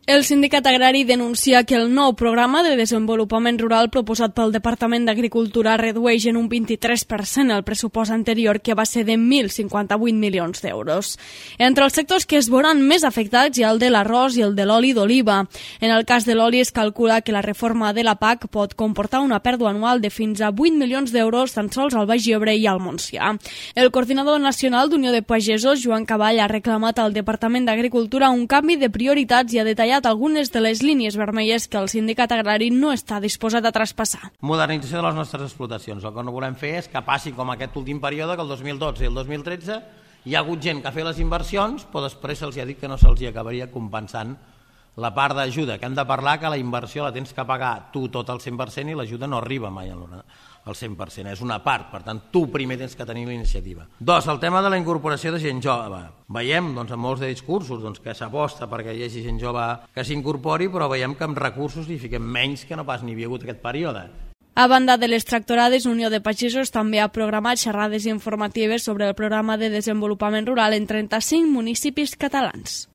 El sindicat agrari denuncia que el nou programa de desenvolupament rural proposat pel Departament d'Agricultura redueix en un 23% el pressupost anterior, que va ser de 1.058 milions d'euros. Entre els sectors que es veuran més afectats hi ha el de l'arròs i el de l'oli d'oliva. En el cas de l'oli es calcula que la reforma de la PAC pot comportar una pèrdua anual de fins a 8 milions d'euros tan sols al Baix Ebre i al Montsià. El coordinador nacional d'Unió de Pagesos, Joan Caball, ha reclamat al Departament d'Agricultura un canvi de prioritats i ha detallat algunes de les línies vermelles que el sindicat agrari no està disposat a traspassar. Modernització de les nostres explotacions. El que no volem fer és que passi com aquest últim període, que el 2012 i el 2013 hi ha hagut gent que ha fet les inversions, però després se'ls ha dit que no se'ls acabaria compensant la part d'ajuda, que hem de parlar que la inversió la tens que pagar tu tot al 100% i l'ajuda no arriba mai al 100%, és una part, per tant tu primer tens que tenir la iniciativa. 2. El tema de la incorporació de gent jove. Veiem en molts de discursos que s'aposta perquè hi hagi gent jove que s'incorpori, però veiem que amb recursos hi fiquem menys que no pas n'hi havia hagut aquest període. A banda de les tractorades, Unió de Pagesos també ha programat xerrades informatives sobre el programa de desenvolupament rural en 35 municipis catalans.